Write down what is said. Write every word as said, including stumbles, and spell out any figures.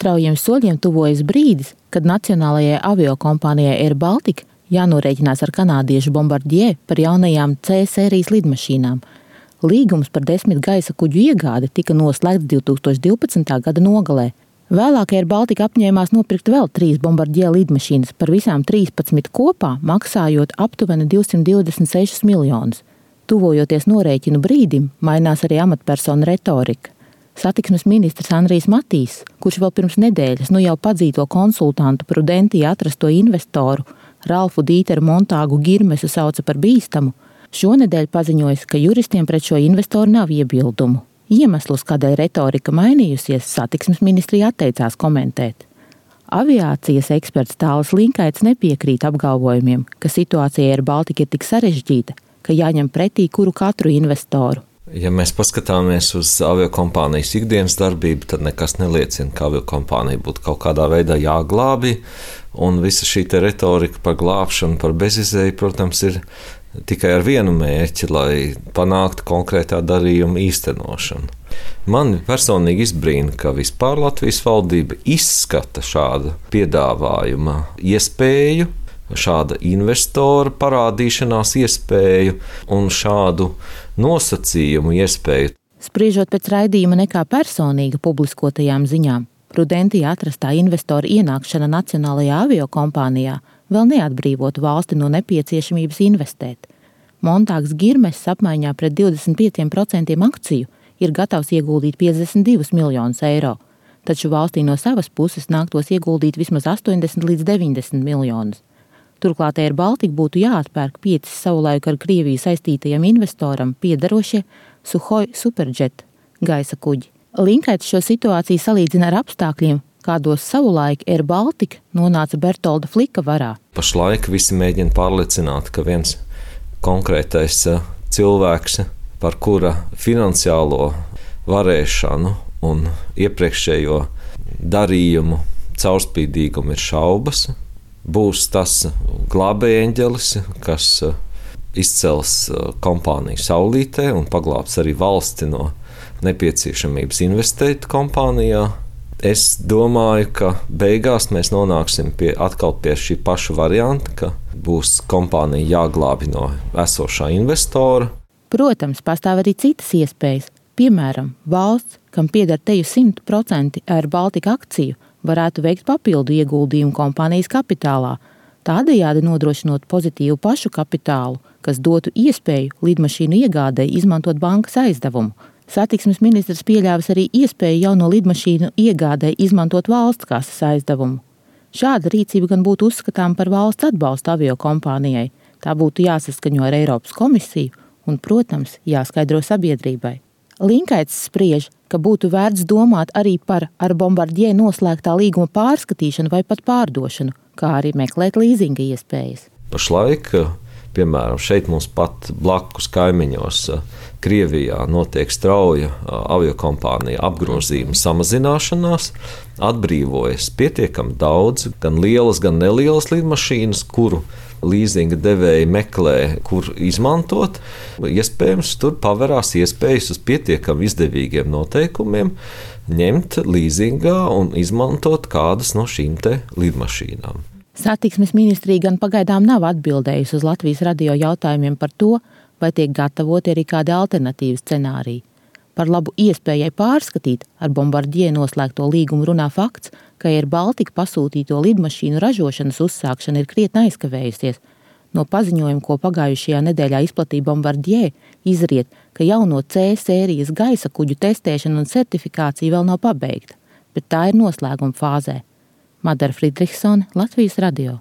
Straujiem soļiem tuvojas brīdis, kad nacionālajai aviokompānijai Air Baltica jānorēķinās ar kanādiešu Bombardier par jaunajām C sērijas lidmašīnām. Līgums par desmit gaisa kuģu iegādi tika noslēgts divi tūkstoši divpadsmitā gada nogalē. Vēlāk Air Baltica apņēmās nopirkt vēl trīs Bombardier lidmašīnas, par visām trīspadsmit kopā, maksājot aptuveni divsimt divdesmit sešus miljonus. Tuvojoties norēķinu brīdim, mainās arī amatpersonu retorika. Satiksmes ministrs Andrijs Matīs, kurš vēl pirms nedēļas nu jau padzīto konsultantu Prudentija atrasto investoru Ralfu Dīteru Montāgu Girmesu sauca par bīstamu, šonedēļ paziņojis, ka juristiem pret šo investoru nav iebildumu. Iemeslus, kādēļ retorika mainījusies, satiksmes ministrija atteicās komentēt. Aviācijas eksperts Tālis Linkaits nepiekrīt apgalvojumiem, ka situācija ar Baltiku ir tik sarežģīta, ka jāņem pretī kuru katru investoru. Ja mēs paskatāmies uz aviokompānijas ikdienas darbību, tad nekas neliecina, ka aviokompānija būtu kaut kādā veidā jāglābj, un visa šī te retorika par glābšanu, par bezizēju, protams, ir tikai ar vienu mērķi, lai panāktu konkrētā darījuma īstenošanu. Man personīgi izbrīna, ka vispār Latvijas valdība izskata šādu piedāvājuma iespēju, šāda investora parādīšanās iespēju un šādu nosacījumu iespēju. Spriežot pēc raidījuma nekā personīga publiskotajām ziņām, Prudentija atrastā investora ienākšana nacionālajā aviokompānijā vēl neatbrīvotu valsti no nepieciešamības investēt. Montāgs Girmesis apmaiņā pret divdesmit pieciem procentiem akciju ir gatavs ieguldīt piecdesmit divus miljonus eiro, taču valstī no savas puses nāktos ieguldīt vismaz astoņdesmit līdz deviņdesmit miljonus. Turklāt Air Baltica būtu jāatpērk pieci savulaik ar Krieviju saistītajam investoram piederošie Suhoi Superjet gaisa kuģi. Linkaits šo situāciju salīdzina ar apstākļiem, kādos savulaik Air Baltica nonāca Bertolda Flika varā. Pašlaik visi mēģina pārliecināt, ka viens konkrētais cilvēks, par kura finansiālo varēšanu un iepriekšējo darījumu caurspīdīgumu ir šaubas, būs tas glābējeņģelis, kas izcels kompāniju saulītē un paglābs arī valsti no nepieciešamības investēt kompānijā. Es domāju, ka beigās mēs nonāksim pie, atkal pie šī paša varianta, ka būs kompānija jāglābi no esošā investora. Protams, pastāv arī citas iespējas. Piemēram, valsts, kam pieder teju simt procenti Air Baltica akciju, varētu veikt papildu ieguldījumu kompānijas kapitālā, tādējādi nodrošinot pozitīvu pašu kapitālu, kas dotu iespēju lidmašīnu iegādei izmantot bankas aizdevumu. Satiksmes ministrs pieļāvis arī iespēju jauno lidmašīnu iegādei izmantot valsts kases aizdevumu. Šāda rīcība gan būtu uzskatām par valsts atbalstu aviokompānijai. Tā būtu jāsaskaņo ar Eiropas komisiju un, protams, jāskaidro sabiedrībai. Linkaits spriež, ka būtu vērts domāt arī par ar Bombardier noslēgtā līguma pārskatīšanu vai pat pārdošanu, kā arī meklēt līzinga iespējas. Pašlaik, piemēram, šeit mums pat blakus kaimiņos Krievijā notiek strauja aviokompānija apgrozījuma samazināšanās, atbrīvojas pietiekami daudz, gan lielas, gan nelielas lidmašīnas, kuru līzinga devēji meklē, kur izmantot. Iespējams, tur paverās iespējas uz pietiekami izdevīgiem noteikumiem ņemt līzingā un izmantot kādas no šīm te lidmašīnām. Satiksmes ministrija gan pagaidām nav atbildējusi uz Latvijas radio jautājumiem par to, vai tiek gatavoti arī kādi alternatīvi scenāriji. Par labu iespējai pārskatīt ar Bombardier noslēgto līgumu runā fakts, ka Air Baltica pasūtīto lidmašīnu ražošanas uzsākšana ir krietni aizkavējusies. No paziņojuma, ko pagājušajā nedēļā izplatīja Bombardier, izriet, ka jauno C sērijas gaisa kuģu testēšana un certifikācija vēl nav pabeigta, bet tā ir noslēguma fāzē. Madara Friedrichsone, Latvijas radio.